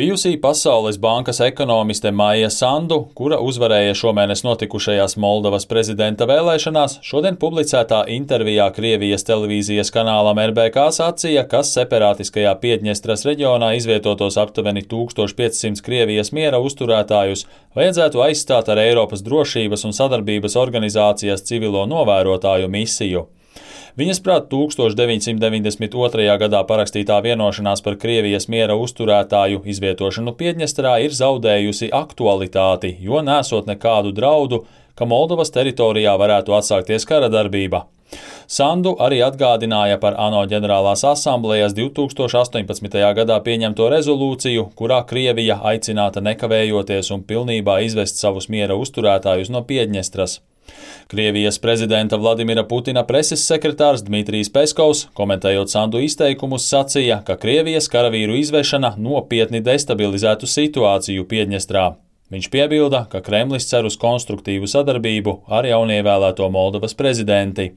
Bijusī Pasaules bankas ekonomiste Maija Sandu, kura uzvarēja šomēnes notikušajās Moldovas prezidenta vēlēšanās, šodien publicētā intervijā Krievijas televīzijas kanālam RBK sacīja, ka separātiskajā Piedņestras reģionā izvietotos aptuveni 1500 Krievijas miera uzturētājus vajadzētu aizstāt ar Eiropas drošības un sadarbības organizācijas civilo novērotāju misiju. Viņas prāt 1992. gadā parakstītā vienošanās par Krievijas miera uzturētāju izvietošanu Piedņestrā ir zaudējusi aktualitāti, jo nesot nekādu draudu, ka Moldovas teritorijā varētu atsākties kara darbība. Sandu arī atgādināja par ANO ģenerālās asamblejas 2018. gadā pieņemto rezolūciju, kurā Krievija aicināta nekavējoties un pilnībā izvest savus miera uzturētājus no Piedņestras. Krievijas prezidenta Vladimira Putina preses sekretārs Dmitrijs Peskovs, komentējot Sandu izteikumus, sacīja, ka Krievijas karavīru izvešana nopietni destabilizētu situāciju Piedņestrā. Viņš piebilda, ka Kremlis cer uz konstruktīvu sadarbību ar jaunievēlēto Moldovas prezidenti.